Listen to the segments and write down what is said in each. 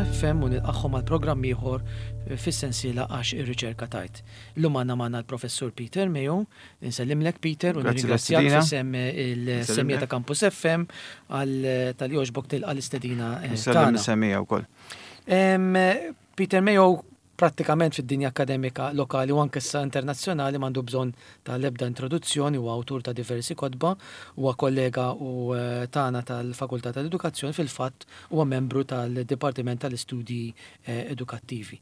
FM u nilqagħhom għal programm ieħor fis-sensiela Għax ir-Riċerka Tgħid. Illum għandna magħna l-Professur Peter Mayo. Insellimlek Peter u nirringrazzjak f'isem il-semmiegħa ta' Campus FM għal talli għoġbok tilqa' l-istedina tagħna. Insellem is-semmiegħa wkoll. Peter Mayo Prattikament fid-dinja akkademika lokali u anke issa internazzjonali m'għandu bżonn ta' l-ebda introduzzjoni, huwa awtur ta' diversi kotba, huwa kollega u tagħna tal-Fakultà tal-Edukazzjoni, fil-fatt huwa membru tal-Dipartiment tal-Istudji Edukattivi.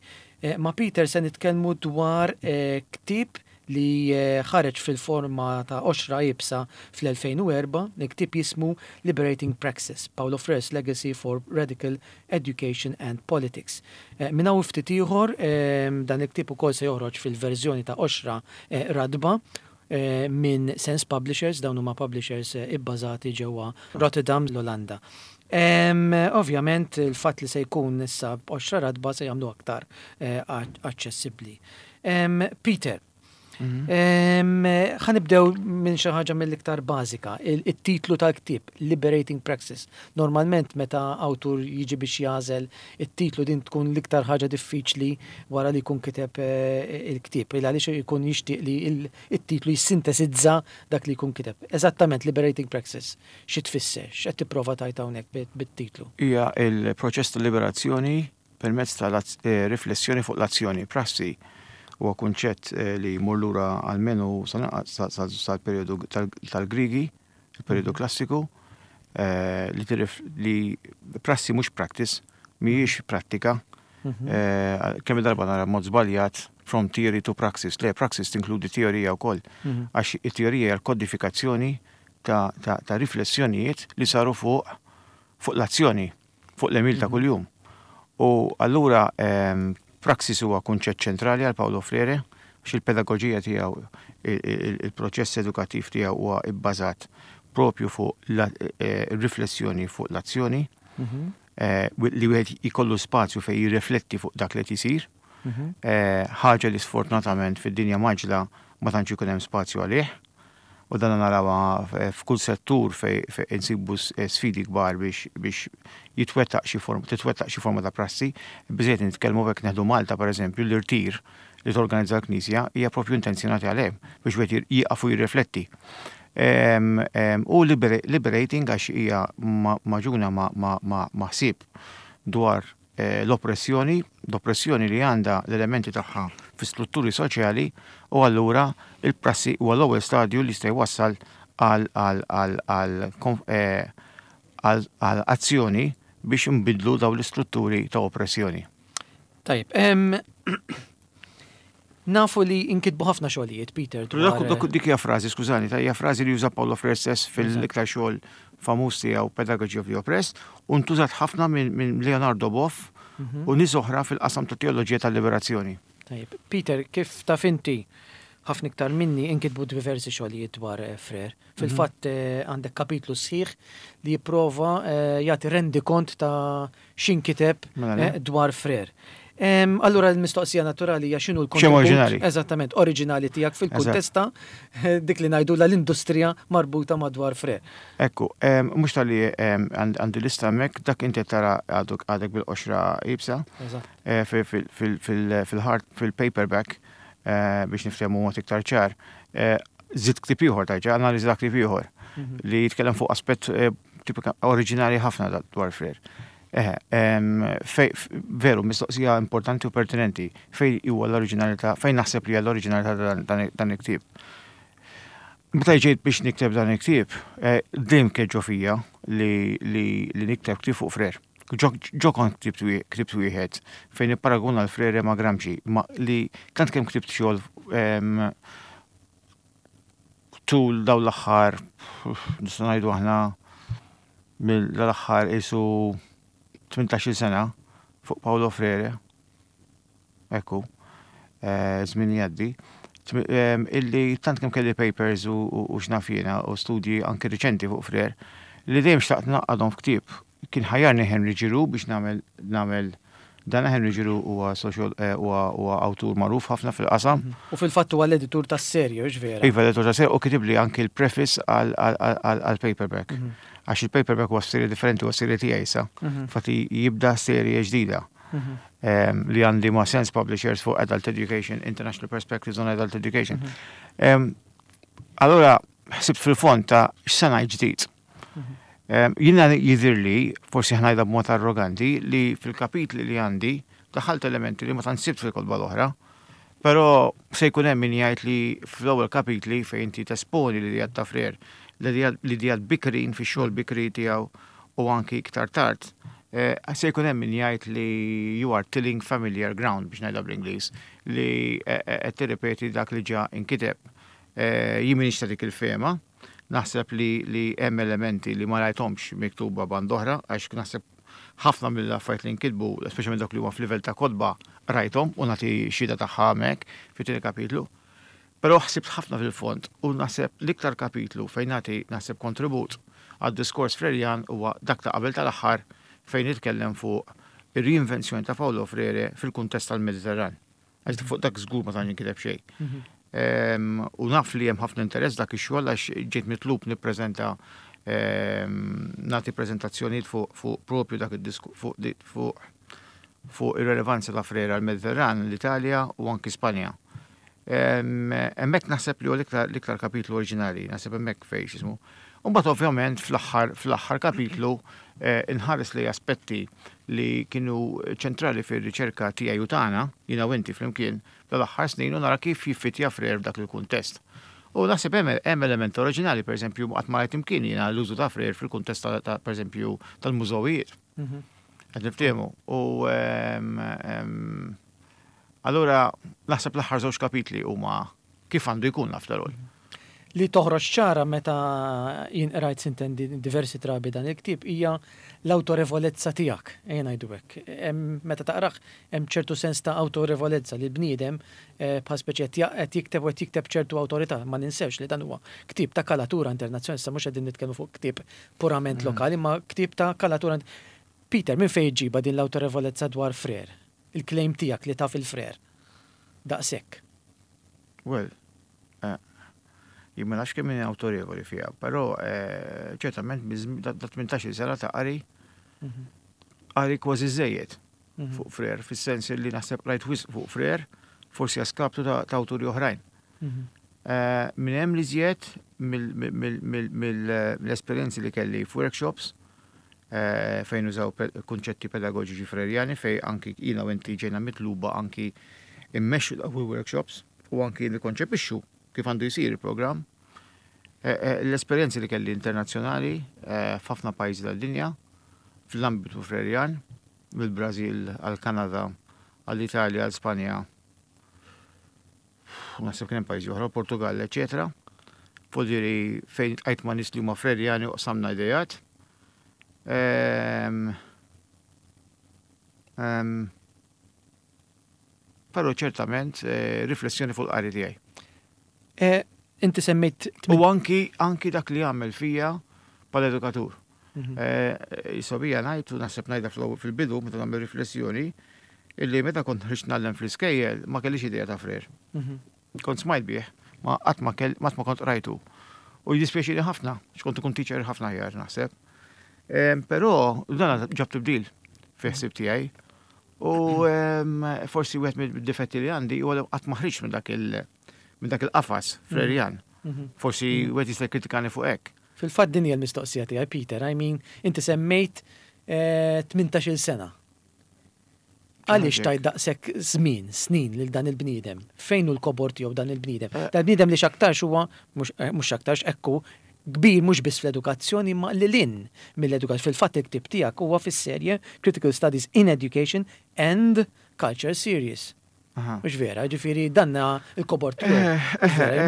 Ma' Peter se nitkellmu dwar ktieb li ħareġ fil-forma ta' qoxra iebsa fl-2004, il-ktieb jismu Liberating Praxis, Paulo Freire's Legacy for Radical Education and Politics. Minn hawn u ftit ieħor dan il-ktieb ukoll se joħroġ fil-verżjoni ta' qoxra ratba minn Sense Publishers, dawn huma publishers ibbażati ġewwa Rotterdam, l-Olanda. Ovvjament il-fatt li se jkun issa b'qoxra ratba se jagħmlu aktar aċċessibbli. Peter, ħa nibdew minn xi ħaġa mill-iktar bażika, it-titlu tal-ktieb, Liberating Praxis. Normalment meta awtur jiġi biex jagħżel it-titlu din tkun l-iktar ħaġa diffiċli wara li jkun kiteb il-ktieb, il għaliex ikun jixtieq li t-titlu jissintesizza dak li jkun kiteb. Eżattament Liberating Praxis, xi tfisser? X'qed tipprova tgħid hawnhekk bit-titlu? Hija l-proċess ta' liberazzjoni permezz ta' riflessjoni fuq l-azzjoni. Prassi huwa kunċett li jmur lura almenu sal-perjodu tal-Griegi, il-perjodu klassiku, li prassi mhux practice, mhijiex prattika. Kemm darba nara mod żbaljat from theory to praxis. Le, praxis tinkludi teorija wkoll, għax it-teorija hija l-kodifikazzjoni ta' riflessjonijiet li saru fuq l-azzjoni. fuq l-għemil ta' kuljum. U allura praxis huwa kunċett ċentrali għal Paulo Freire, għax il-pedagoġija tiegħu, il-proċess edukattiv tiegħu huwa bbażat propju fuq riflessjoni fuq l-azzjoni, li wieħed jkollu spazju fejn jirrifletti fuq dak li qed isir, ħaġa li sfortunatament fid-dinja mgħaġġla ma tantx ikun hemm spazju għalih. U dan narawha f'kull settur fejn insibu sfidi kbar biex jitwettaq xi forma, titwettaq xi forma ta' prassi. Biżżejjed nitkellmu hekk neħdu Malta pereżempju, l-irtir li torganizza l-Knisja hija propju intenzjonati għal hemm biex wieħed jieqaf u jirrifletti. U liberating għax hija magħġuna ma' ħsieb dwar l-oppressjoni, l-oppressjoni li għandha l-elementi tagħha fi strutturi soċjali u allura il-prassi huwa l-ewwel stadju li jista' jwassal għal għal azzjoni biex nbiddlu dawn l-istrutturi ta' oppressjoni. Tajjeb, Nafu li inkitbu ħafna xogħlijiet, Peter. Dwar... Dik hija frażi, skużani, ta' hija frażi li juża Paulo Freire stess fil-iktar xogħol famuż tiegħu Pedagogy of the Oppressed u ntużat ħafna minn Leonardo Boff mhm. u nies oħra fil-qasam ta' teoloġija tal-liberazzjoni. Tajjeb, Peter, kif taf inti ħafna iktar minni inkitbu diversi xogħlijiet dwar eh, Freire. Mhm. Fil-fatt eh, għandek kapitlu sħiħ li jipprova eh, jagħti rendikont ta' x'inkiteb mela eh, dwar Frere. Allura l-mistoqsija naturali hija x'inhu l-kontribut eżattament oriġinali tiegħek fil-kuntest ta' dik li ngħidulha l-industrija marbuta madwar Frere. Ekku, mhux talli għandi lista hemmhekk, dak inti tara għadek bil-qoxra iebsa eh, fil-hard fil-paperback eh, biex niftehmu mod iktar ċar. Żidt ktieb ieħor tarġa', analiżi ta' ktieb ieħor mhm. li jitkellem fuq aspett tipika oriġinali ħafna dwar Freire. Eħe, veru, mistoqsija importanti u pertinenti, fej huwa l-oriġinalità, fejn naħseb li hija l-oriġinalità dan il-ktieb. Meta ġejt biex nikteb dan il-ktieb, eh, dejjem kien ġo fija li nikteb ktieb fuq Freire. Ġo kont ktibt wieħed fejn ipparaguna l-Freire ma' Gramsci, ma li tant kemm ktibt xogħol tul dawn l-aħħar, nistgħu ngħidu aħna mill-aħħar isu 18-il sena fuq Paolo Freire, ekku, eh, żmien jgħaddi, illi tant kemm kelli papers u x'naf jiena u studji anki riċenti fuq Freire, li dejjem xtaqt naqadhom f'ktieb. Kien ħajjarni Henry Giroux biex nagħmel nagħmel Dan Henry Giroux huwa social huwa awtur magħruf ħafna fil-qasam. U fil-fatt huwa l-editur tas-serje, hux vera? Iva, l-editur tas-serje u kitibli anki l-preface għall-paperback. Għax il-paperback huwa serje differenti, huwa serje tiegħi issa. Infatti jibda serje ġdida li għandi ma' Sense Publishers fuq Adult Education, International Perspectives on Adult Education. Allura, ħsibt fil-fond ta' x'se ngħid ġdid. Jiena jidhirli, forsi ħa ngħidha b'mod arroganti, li fil-kapitli li għandi daħħalt elementi li ma tantx sibt fil-kotba l-oħra. Però se jkun hemm min jgħid li fl-ewwel kapitli fejn inti tesponi l-ideat ta' Frere, l-ideat bikrin fix-xogħol bikri tiegħu u anki iktar tard, se jkun hemm min jgħid li you are tilling familiar ground biex ngħidha bl-Ingliż, li qed tirripeti dak li ġa inkiteb. Jien m'iniex ta' dik il-fehma. Naħseb li li hemm elementi li ma rajthomx miktuba band'oħra għax naħseb ħafna mill-affarijiet li nkitbu, speċjalment dawk li huma f'livell ta' kotba, qrajthom u nagħti xhieda tagħha hemmhekk fit-tieni kapitlu. Però ħsibt ħafna fil-fond u naħseb l-iktar kapitlu fejn nagħti naħseb kontribut għad-diskors Frerjan huwa dak ta' qabel tal-aħħar fejn nitkellem fuq ir-riinvenzjoni ta' Paulo Freire fil-kuntest tal-Mediterran. Għax fuq dak żgur ma tantx inkiteb xejn. U naf li hemm ħafna interess dak ix-xogħol għax ġejt mitlub nippreżenta nagħti preżentazzjonijiet fuq propju dak id-disku fuq fuq ir-relevanza ta' Frere għall-Mediterran, l-Italja u anki Spanja. Hemmhekk naħseb li hu l-iktar kapitlu oriġinali, naħseb hemmhekk fejn x'ismu. U mbagħad ovvjament fl-aħħar fl-aħħar kapitlu inħares lejn aspetti li kienu ċentrali fir-riċerka tiegħi u tagħna, jiena u inti flimkien, tal-aħħar snin u nara kif jiffitja Frere f'dak il-kuntest. U naħseb hemm hemm element oriġinali, pereżempju, qatt ma rajt imkien jiena l-użu ta' Frere fil-kuntest ta' pereżempju tal-mużewijiet. Qed niftehmu. U allura naħseb l-aħħar żewġ kapitli huma kif għandu jkun after all. Li toħroġ ċara meta jien qrajt sintendi diversi drabi dan il-ktieb hija l-awtorevolezza tiegħek, ejja ngħidu hekk. Meta taqrah hemm ċertu sens ta' awtorevolezza li l-bniedem bħal speċi qed jikteb u qed jikteb b'ċertu awtorità. Ma ninsewx li dan huwa ktieb ta' kalatura internazzjonali, issa mhux qegħdin nitkellmu fuq ktieb purament lokali imma ktieb ta' kalatura Peter, minn fejn iġġibha din l-awtorevolezza dwar Frere? Il-claim tiegħek li taf il-Frere daqshekk. Well, jien ma nafx kemm inni awtorevoli fiha, però ċertament da 18-il sena ta' qari, qari kważi żejjed fuq Frere, fis-sens li naħseb qrajt wisq fuq Frere, forsi a skaptu ta' awturi oħrajn. Minn hemm l-iżjed mill-esperjenzi li kelli f'workshops fejn użaw kunċetti pedagoġiċi Frerjani fejn anki jiena u inti ġejna mitluba anki immexxu dawk il-workshops u anki nikkonċepixxu kif għandu jsir il-programm. L-esperjenzi li kelli internazzjonali f'ħafna pajjiżi tad-dinja fl-ambitu Frerjan, mill-Brażil għall-Kanada, għall-Italja, għal Spanja, naħseb kien hemm pajjiżi oħra, Portugal, eċetera. Podiri fejn tqajt ma' nies li huma Frerjani u qsamna idejat. Ehm, ehm, però ċertament eh, riflessjoni fuq il-qari tiegħi. Eh, inti semmejt. U anki anki dak li għamel fija bħala edukatur. Jisobija mhm. eh, ngħid u naħseb ngħidha fil-bidu meta nagħmel riflessjoni illi meta kont ħriġt nagħllem fl-iskejjel ma kellix idea ta' Frere. Mhm. Kont smajt bih, ma qatt ma kell ma kont rajtu. U jiddispjaċini ħafna, x'kont ikun teacher ħafna aħjar naħseb. Però dan ġab tibdil fi ħsieb tiegħi. U forsi wieħed mid-difetti li għandi huwa li qatt ma ħriġt minn dak il- minn dak il-qafas Frerjan. Mhm. Forsi wieħed jista' jikkritikani fuq hekk. Fil-fatt din hija l-mistoqsija tiegħi Peter, I mean, inti semmejt 18-il sena. Għaliex tajt daqshekk żmien, snin lil dan il-bniedem? Fejn hu l-kobor tiegħu dan il-bniedem? Dan il-bniedem li x'aktarx huwa, mhux x'aktarx, hekk hu, kbir mhux biss fl-edukazzjoni imma lil hinn mill-edukazzjoni. Fil-fatt il-ktieb tiegħek huwa fis-serje Critical Studies in Education and Culture Series. Mhux vera, ġifieri dan il-kobor tiegħu.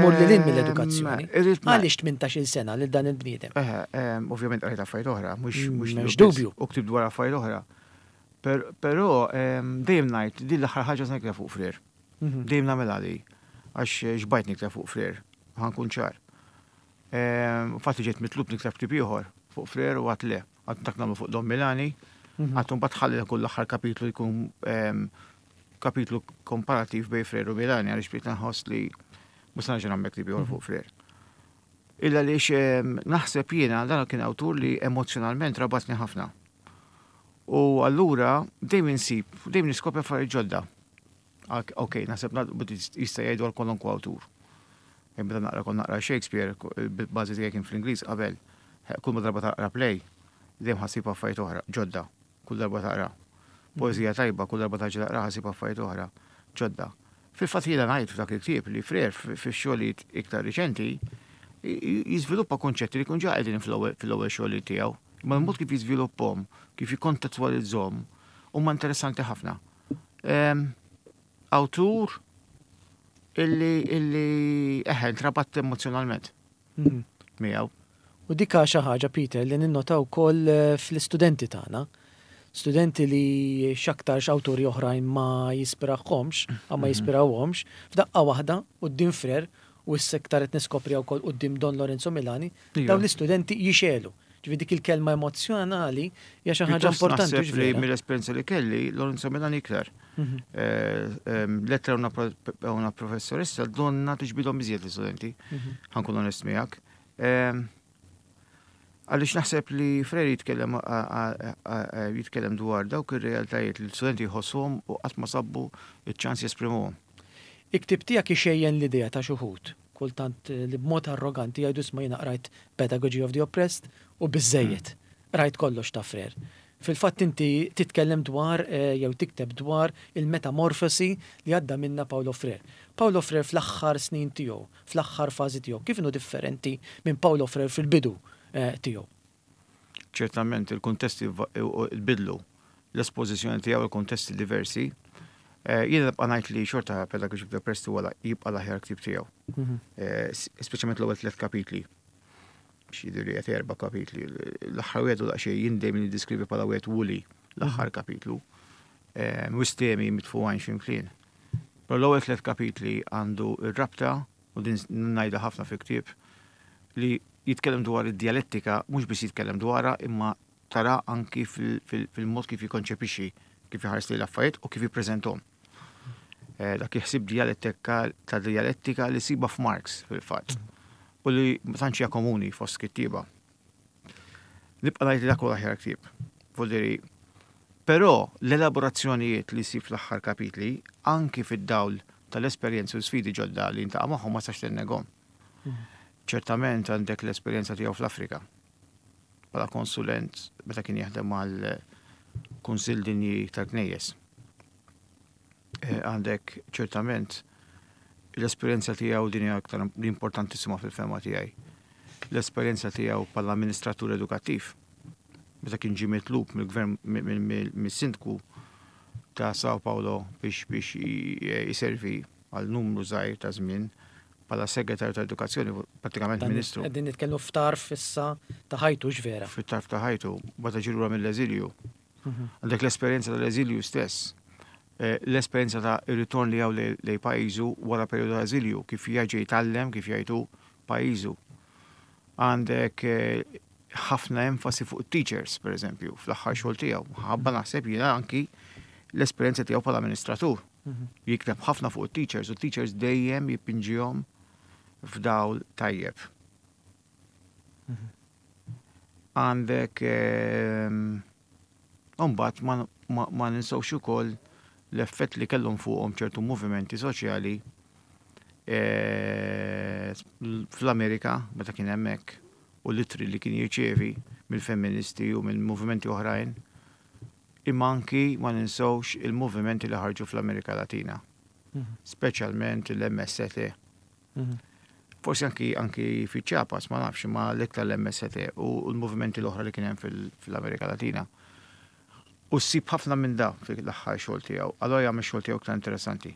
Imur lil hinn mill-edukazzjoni. Għaliex 18-il sena lil dan il-bniedem? Ovvjament qrajt affarijiet oħra, mhux mhux dubju. U ktibt dwar affarijiet oħra. Però dejjem ngħid din l-aħħar ħaġa se nikteb fuq Frere. Dejjem nagħmilha di għax xbajt nikteb fuq Frere, ħa nkun ċar. Infatti ġejt mitlub nikteb ktieb ieħor fuq Frere u għedt le, għad dak nagħmlu fuq Don Milani. Għattu mbagħad ħalli kull l-aħħar kapitlu jkun kapitlu komparativ bejn Frere u Milani għaliex bdejt nħoss li mhux se nerġa' nagħmel ktieb ieħor fuq Frere. Illa għaliex naħseb jiena dan kien awtur li emozjonalment rabatni ħafna. U allura dejjem insib, dejjem niskopri affarijiet ġodda. Ok, naħseb jista' jgħidu għal kwalunkwe awtur. Meta naqra kont naqra Shakespeare, il-bażi tiegħi kien fl-Ingliż qabel, kull ma darba taqra play, dejjem ħassib affarijiet oħra, ġodda, kull darba taqra. Poeżija tajba, kull darba tarġa' taqraha ssib affarijiet oħra, ġodda. Fil-fatt jiena ngħid f'dak il-ktieb li Frere fix-xogħlijiet iktar riċenti jiżviluppa kunċetti li jkun ġa qegħdin fl-ewwel xogħlijiet tiegħu. Imma l-mod kif jiżviluppahom, kif jikkontettwalizzhom, huma interessanti ħafna. Awtur illi illi eħe ntrabatt emozjonalment miegħu. U dik xi ħaġa, Peter, li ninnota wkoll fl-istudenti tagħna. Studenti li x'aktarx awturi oħrajn ma jispirahomx, ma jispirawhomx, f'daqqa waħda quddiem Frere u issa iktar qed niskopri wkoll quddiem Don Lorenzo Milani, dawn l-istudenti jixegħlu. Ġifieri dik il-kelma emozjonali hija xi ħaġa importanti. Naħseb li mill-esperjenza li kelli, Lorenzo Milani iktar. Lettere a una professoressa donna tiġbidhom iżjed l-istudenti, ħa nkun onest miegħek. Għaliex naħseb li Frere jitkellem jitkellem dwar dawk ir-realtajiet li l-studenti jħossuhom u qatt ma sabu iċ-ċans jesprimuhom. Il-ktieb tiegħek ixejjen l-idea ta' xi wħud, kultant li b'mod arroganti jgħidu, "Isma', jiena qrajt Pedagogy of the Oppressed u biżejjed. Rajt kollox ta' Frere." Fil-fatt inti titkellem dwar jew tikteb dwar il-metamorfosi li għadda minna Paulo Frere. Paulo Frere fl-aħħar snin tiegħu, fl-aħħar fażi tiegħu, kif inhu differenti minn Paulo Frere fil-bidu tiegħu? Ċertament il-kuntesti bidlu l-espożizzjoni tiegħu il-kuntesti diversi. Jiena nibqa' ngħid li xorta Pedagogy of the Oppressed huwa jibqa' l-aħjar ktieb tiegħu. Speċjalment l-ewwel tliet kapitli. Xi li qed erba' kapitli. L-aħħar wieħed u daqsxejn jien dejjem niddeskrivi bħala wieħed woolly l-aħħar kapitlu. Wisq temi mitfugħin x'imkien. Però l-ewwel tliet kapitli għandu ir-rabta, u din ngħidha ħafna fil-ktieb, li jitkellem dwar id-djalettika, mhux biss jitkellem dwarha imma tara anki fil-mod kif jikonċepixxi, kif iħares li l-affarijiet u kif jippreżentahom. Dak il-ħsieb djalettika ta' djalettika li ssibha f'Marx fil-fatt u li ma tantx hija komuni fost kittieba. Nibqa' ngħid li dak huwa l-aħjar ktieb. Vuol Però l-elaborazzjonijiet li jsib fl-aħħar kapitli, anki fid-dawl tal-esperjenzi u sfidi ġodda li ltaqa' magħhom, ma tistax tinnegahom. Ċertament għandek l-esperjenza tiegħu fl-Afrika bħala konsulent meta kien jaħdem mal-Kunsill Dinji tal-Knejjes. Għandek ċertament l-esperjenza tiegħu, din hija aktar importantissima fil-fehma tiegħi. L-esperjenza tiegħu bħala amministratur edukattiv meta kien ġie mitlub mill-gvern, mis-sindku ta' Sao Paulo biex jiservi għal numru żgħir ta' żmien bħala segretarju ta' edukazzjoni, pratikament ministru. Qegħdin nitkellmu f'tarf issa ta' ħajtu, vera? Fit-tarf ta' ħajtu, meta ġie lura mill-eżilju. Għandek l-esperjenza tal-eżilju stess. L-esperjenza ta' ritorn li għaw lejn pajjiżu wara periodu ta' eżilju, kif jaġi jitgħallem, kif jgħidu, pajjiżu. Għandek ħafna enfasi fuq teachers, per eżempju, fl-aħħar xogħol tiegħu. Ħabba naħseb jiena anki l-esperjenza tiegħu bħala amministratur. Jikteb ħafna fuq teachers u teachers dejjem jipinġihom f'dawl tajjeb. Għandek Mbagħad ma ninsewx ukoll l-effett li kellhom fuqhom ċertu movimenti soċjali fl-Amerika meta kien hemmhekk u l-ittri li kien jirċievi mill-femministi u minn movimenti oħrajn. Imma anki ma ninsewx il-movimenti li ħarġu fl-Amerika Latina, speċjalment l-MST. Forsi anki fi Chiapas, ma nafx, ma l-iktar l-MST u l-movimenti l-oħra li kien hemm fil-Amerika Latina. U ssib ħafna minn da fil-aħħar xogħol tiegħu, allora jagħmel xogħol tiegħu iktar interessanti.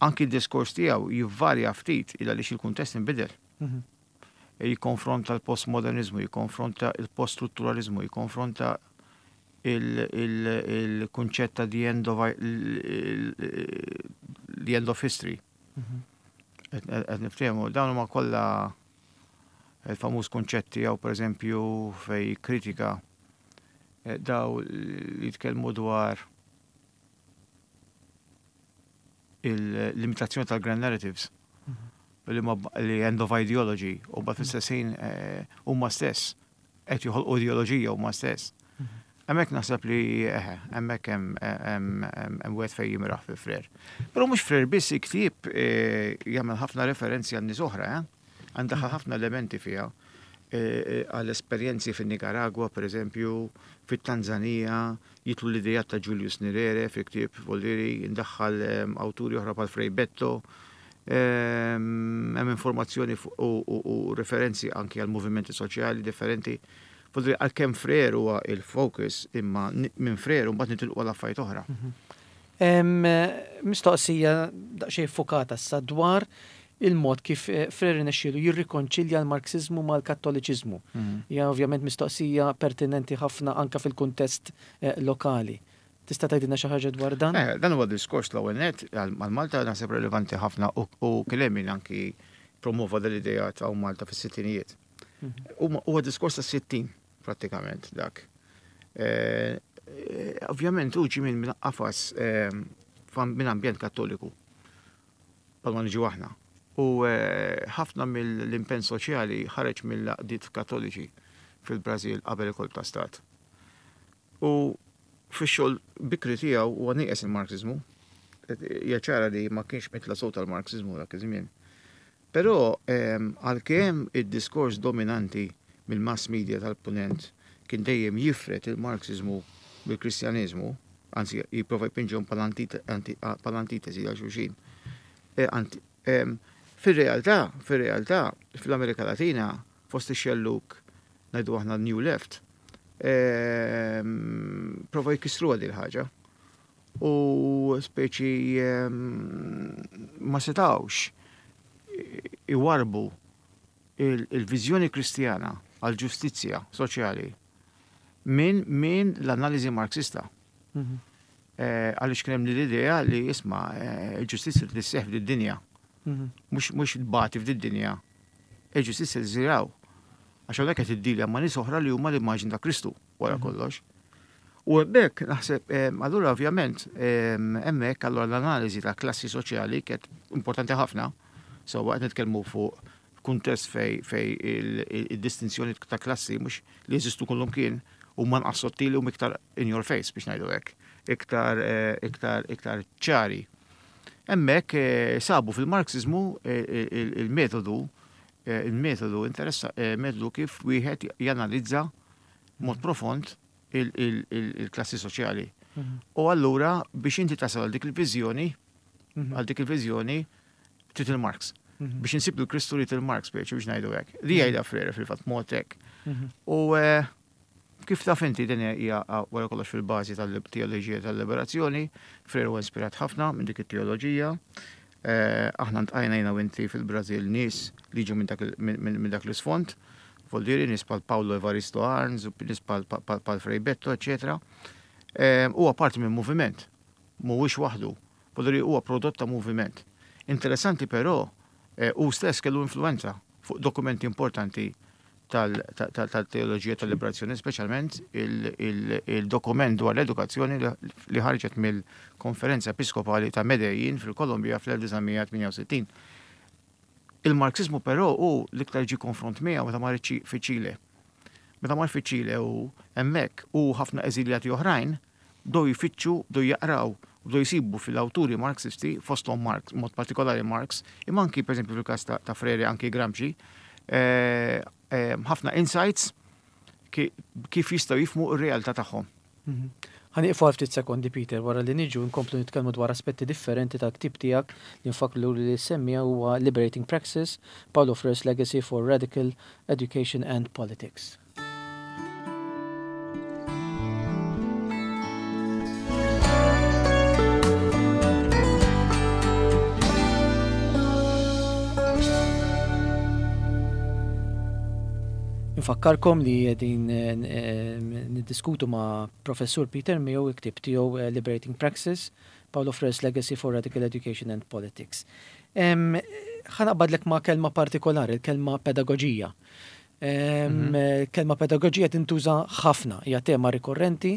Anki d-diskors tiegħu jivvarja ftit illa li il-kuntest inbidel. Jikkonfronta l-postmodernizmu, jikkonfronta il-poststrutturalizmu, jikkonfronta il-kunċett ta' the end of history. Qed niftehmu, dawn huma kollha il-famuż kunċetti jew, pereżempju, fej kritika. Daw li jitkellmu dwar il-limitazzjoni tal-grand narratives li ma li end of ideology u mbagħad fl-istess ħin huma stess qed joħolqu ideoloġija huma stess. Hemmhekk naħseb li eħe, hemmhekk hemm wieħed fejn jimraħ fi Frere. Però mhux Frere biss il-ktieb jagħmel ħafna referenzi għal nies oħra, eh? Għandaħħal ħafna elementi fiha għal esperjenzi fin-Nikaragwa, pereżempju, fit-Tanzanija, jidħlu l-ideat ta' Julius Nyerere fil-ktieb Vollieri, jindaħħal awturi oħra bħal Frei Betto, hemm informazzjoni u referenzi anki għal movimenti soċjali differenti. Vollieri għalkemm Frere huwa il-focus imma minn Frere mbagħad nitilqu għal affarijiet oħra. Mistoqsija daqsxejn iffukata issa dwar il-mod kif Frere rnexxielu jirrikonċilja l-Marksiżmu mal-Kattoliċiżmu. Hija ovvjament mistoqsija pertinenti ħafna anke fil-kuntest lokali. Tista' tgħidilna xi ħaġa dwar dan? Dan huwa diskors l-ewwel nett għal Malta naħseb relevanti ħafna u kien hemm min anki promova dal-ideat hawn Malta fis-sittinijiet. Huwa diskors tas-sittin prattikament dak. Ovvjament hu ġie minn qafas minn ambjent Kattoliku. Bħalma niġu aħna. U ħafna mill-impenn soċjali ħareġ mill-għaqdiet Kattoliċi fil-Brażil qabel il-kolp ta' stat. U fix-xogħol bikri tiegħu huwa nieqes il-Marxiżmu. Hija ċara li ma kienx mitla' sew tal-Marxiżmu dak iż-żmien. Però għalkemm id-diskors dominanti mill-mass media tal-Punent kien dejjem jifred il-Marxiżmu mill-Kristjaneżmu, anzi jipprova jpinġihom bħala antitesi għal xulxin, fir-realtà, fir-realtà, fl-Amerika Latina, fost ix-xellug, ngħidu aħna l-New Left, prova jkissruha din il-ħaġa. U speċi ma setgħux iwarrbu il-viżjoni Kristjana għall-ġustizzja soċjali minn min l-analiżi Marxista. Għaliex kien hemm l-idea li isma' il-ġustizzja trid isseħħ f'did-dinja. Mhux tbati f'did-dinja. Il-ġustizzja ssir hawn. Għax hawnhekk qed iddilja ma' nies oħra li huma l-immaġni ta' Kristu. wara kollox. U hemmhekk naħseb, allura ovvjament hemmhekk allura l-analiżi ta' klassi soċjali kienet importanti ħafna. Sewwa qed nitkellmu fuq kuntest fej fej il-distinzjoni ta' klassi mhux li jeżistu kullumkien huma nqas sottili u iktar in your face biex ngħidu hekk, iktar iktar iktar ċari. Hemmhekk sabu fil-Marxiżmu il-metodu il-metodu interessa metodu kif wieħed janalizza mod profond il-klassi soċjali. U allura biex inti tasal għal dik il-viżjoni, għal dik il-viżjoni trid il-Marx. Biex insib il-Kristu li il-Marx biex biex ngħidu hekk. Li jgħidha Frere fil-fatt mod hekk. U eh, kif taf inti din hija wara kollox fil-bażi tal-teoloġija tal-liberazzjoni, Frere huwa ispirat ħafna minn dik it-teoloġija. Aħna ltqajna jiena u inti fil-Brażil nies li jiġu minn dak l-isfond, vuol dire nies bħal Paulo Evaristo Arns, nies bħal Frei Betto, eċċetera. Huwa parti minn moviment, mhuwiex waħdu, vuol dire huwa prodott ta' moviment. Interessanti però, hu stess kellu influwenza fuq dokumenti importanti tal-teoloġija tal-liberazzjoni, speċjalment il-dokument dwar l-edukazzjoni li ħarġet mill-Konferenza Episkopali ta' Medellin fil-Kolombja fl-1968. Il-Marxiżmu però hu l-iktar ġie konfront miegħu meta mar fiċ-Ċile. Meta mar fiċ-Ċile hu hemmhekk u ħafna eżiljati oħrajn bdew jfittxu, bdew jaqraw, bdew jsibu fil-awturi Marxisti, fosthom Marx, mod partikolari Marx, imma anki pereżempju fil-każ ta' Freire anki Gramsci, ħafna insights kif jistgħu jifhmu r-realtà tagħhom. Ħa nieqfu għal ftit sekondi Peter wara li niġu nkomplu nitkellmu dwar aspetti differenti tal-ktieb tiegħek li nfakkru li semmija huwa Liberating Praxis, Paulo Freire's Legacy for Radical Education and Politics. Infakkarkom li qegħdin eh, niddiskutu ma' Professur Peter Mayo il-ktieb tiegħu eh, Liberating Praxis, Paulo Freire's Legacy for Radical Education and Politics. Ħa naqbadlek ma' kelma partikolari, il-kelma pedagoġija. Kelma pedagoġija tintuża ħafna, hija tema rikorrenti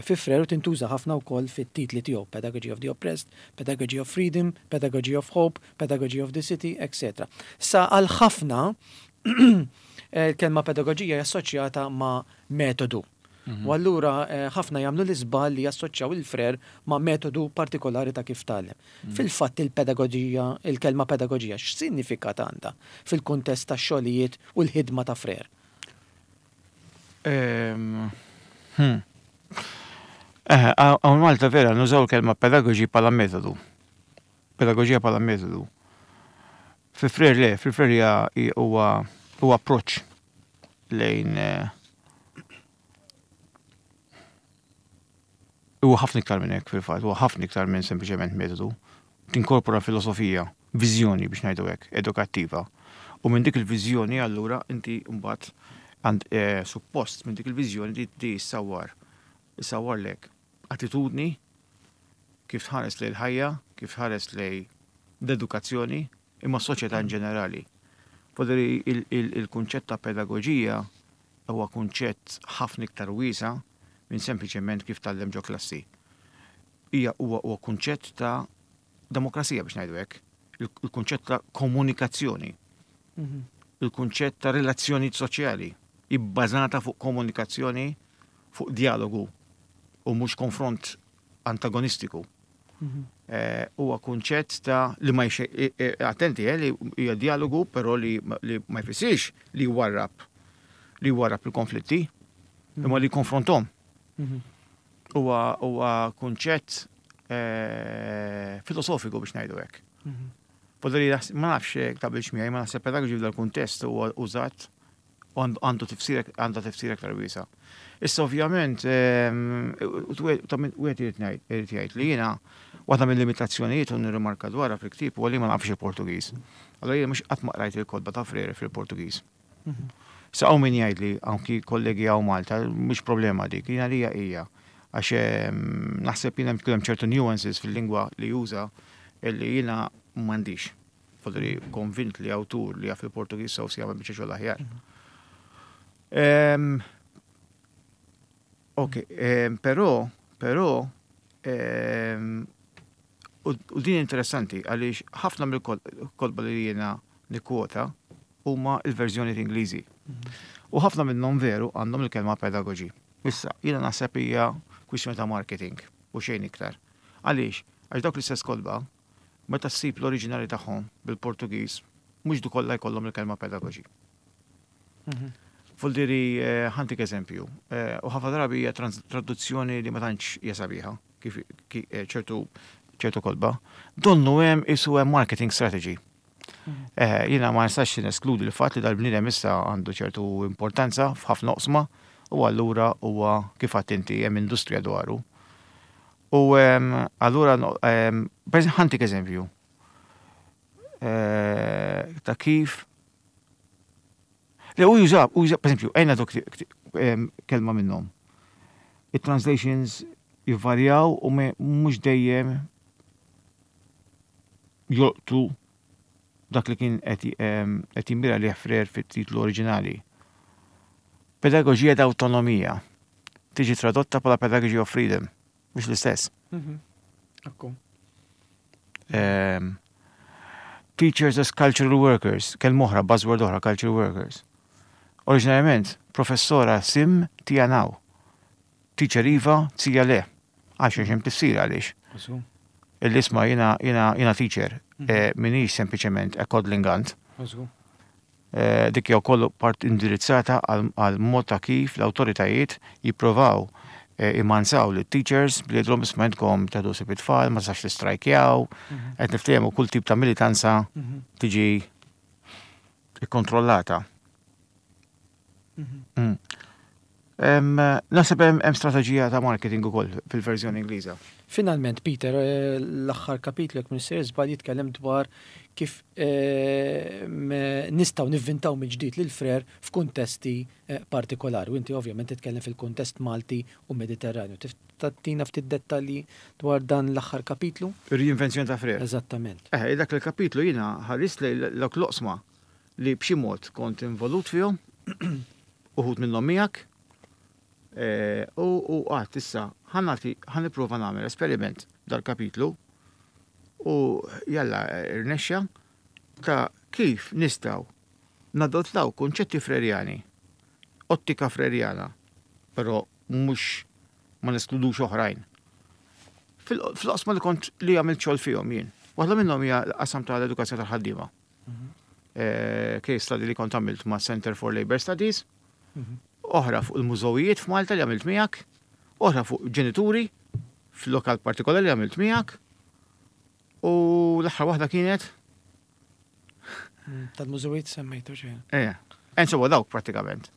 fi Frere u tintuża ħafna wkoll fit-titli tiegħu, Pedagogy of the Oppressed, Pedagogy of Freedom, Pedagogy of Hope, Pedagogy of the City, etc. Sa għal ħafna il-kelma pedagoġija hija assoċjata ma' metodu. U allura ħafna jagħmlu l-iżball li jassoċjaw il-Frere ma' metodu partikolari ta' kif tgħallem. Fil-fatt il-pedagoġija, il-kelma pedagoġija x'sinifikat għandha fil-kuntest tax-xogħlijiet u l-ħidma ta' Frere? Hawn Malta vera nużaw il-kelma pedagogy bħala metodu. Pedagoġija bħala metodu. Fi Frere le, fi Frere hija huwa huwa approċċ lejn huwa ħafna iktar minn hekk fil-fatt, huwa ħafna iktar minn sempliċement metodu. Tinkorpora filosofija, viżjoni biex ngħidu hekk, edukattiva. U minn dik il-viżjoni allura inti mbagħad għand suppost minn dik il-viżjoni di di ssawwar issawwarlek attitudni kif tħares lejn il-ħajja, kif tħares lejn l-edukazzjoni, imma s-soċjetà in ġenerali. Poderi il-kunċett ta' pedagoġija huwa kunċett ħafna iktar wiesa' minn sempliċement kif tgħallem ġo klassi. Hija huwa huwa kunċett ta' demokrazija biex ngħidu hekk, il-kunċett ta' komunikazzjoni, il-kunċett ta' relazzjonijiet soċjali ibbażata fuq komunikazzjoni, fuq dialogu u mhux konfront antagonistiku. Huwa kunċett ta' li ma attenti li hija dialogu però li ma jfissirx li jwarrab li jwarrab il-konflitti, imma li jkonfronthom. Huwa kunċett filosofiku biex ngħidu hekk. Poderi ma nafx taqbilx miegħi, ma naħseb pedagogy f'dal-kuntest huwa użat u għandu tifsir għandha tifsir aktar wiesa'. Issa ovvjament wieħed irid irid jgħid li jiena waħda mill-limitazzjonijiet u nirrimarka dwarha fil-ktieb huwa li ma nafx il-Portugiż. Allura jiena mhux qatt ma qrajt il-kotba ta' Frere fil-Portugiż. Sa hawn min jgħidli anki kollegi hawn Malta mhux problema dik, jiena għalija hija għax naħseb jien hemm ċertu nuances fil-lingwa li juża illi jiena m'għandix. Fodri konvint li awtur li jaf il-Portugiż sew se jagħmel biċċa xogħol aħjar. Ok, però, però, u din interessanti għaliex ħafna mill-kotba li jiena nikkwota huma l-verżjonijiet Ingliżi. U ħafna minnhom veru għandhom il-kelma pedagogy. Issa, jiena naħseb hija kwistjoni ta' marketing u xejn iktar. Għaliex? Għax dawk l-istess kotba meta ssib l-oriġinali tagħhom bil-Portugiż, mhux du kollha jkollhom il-kelma pedagogy. Vuol dire ħa ntik eżempju, u ħafna drabi hija traduzzjoni li ma tantx hija sabiħa, kif ċertu ċertu kotba. Donnu hemm isu hemm marketing strategy. Jiena ma nistax neskludi l-fatt li dal-bniedem issa għandu ċertu importanza f'ħafna oqsma u allura huwa kif għedt inti hemm industrija dwaru. U allura ħa ntik eżempju ta' kif Le, u juża, u juża, per eżempju, ejna dok kelma minnhom. Il-translations jvarjaw u mhux dejjem jolqtu dak li kien qed jimmira li Frere fit-titlu oriġinali. Pedagogia da Autonomia tiġi tradotta bħala Pedagogy of Freedom, mhux l-istess. Ekku. Teachers as cultural workers, kelma oħra, buzzword oħra, cultural workers. Oriġinarjament, professora sim tia não. Teacher iva, tia le. Għax hemm tifsira għaliex. Il-isma jiena jiena jiena teacher, m'iniex sempliċement a coddling aunt. Dik hija wkoll part indirizzata għal mod ta' kif l-awtoritajiet jipprovaw imansaw lit teachers billi jgħidulhom isma' intkom teħdu ħsieb it-tfal, ma tistax tistrajkjaw, qed niftehmu kull tip ta' militanza tiġi ikkontrollata. Naħseb hemm strateġija ta' marketing ukoll fil-verżjoni Ingliża. Finalment, Peter, l-aħħar kapitlu jekk m'iniex żball jitkellem dwar kif nistgħu nivvintaw mill-ġdid lil Frere f'kuntesti partikolari. U inti ovvjament titkellem fil-kuntest Malti u Mediterranju. Tagħtina ftit dettalji dwar dan l-aħħar kapitlu? Ir-reinvenzjoni ta' Frere. Eżattament. Dak il-kapitlu jiena ħarist lejn dawk l-oqsma li b'xi mod kont involut fihom. Uħud minnhom miegħek, u għedt issa ħa nagħti ħa nipprova nagħmel esperiment dal-kapitlu u jalla rnexxa ta' kif nistgħu nadottaw kunċetti frerjani, ottika frerjana, però mhux ma neskludux oħrajn. Fil-qosma li kont li għamilt xogħol fihom jien. Waħda minnhom hija l-qasam tal-edukazzjoni tal-ħaddiema. Case study li kont għamilt ma' Center for Labor Studies, oħra fuq il-mużewijiet f'Malta li għamilt miegħek, oħra fuq ġenituri fil-lokal partikolari li għamilt miegħek, u l-aħħar waħda kienet Tal-mużewijiet semmejtu xejn. Eh, insomma dawk pratikament.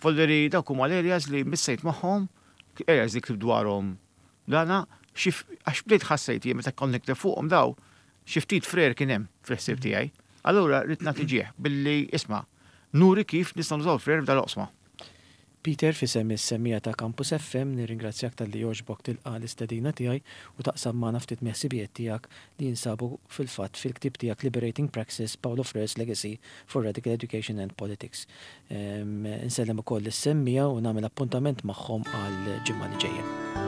Voldiri dawk huma l-areas li missejt magħhom, areas li ktibt dwarhom dana, għax bdejt ħassejt jien meta kont nikteb fuqhom daw, xi ftit Freire kien hemm fil-ħsieb tiegħi. Allura rrid nagħti ġieħ billi isma' nuri kif nistgħu nużaw Freire f'dal-oqsma. Peter, f'isem is-semmiegħa ta' Campus FM, nirringrazzjak talli għoġbok tilqa' l-istedina tiegħi u taqsam magħna ftit mill-ħsibijiet tiegħek li jinsabu fil-fatt fil-ktieb tiegħek Liberating Praxis, Paulo Freire's Legacy for Radical Education and Politics. Insellem ukoll is-semmiegħa u nagħmel appuntament magħhom għal ġimgħa li ġejja.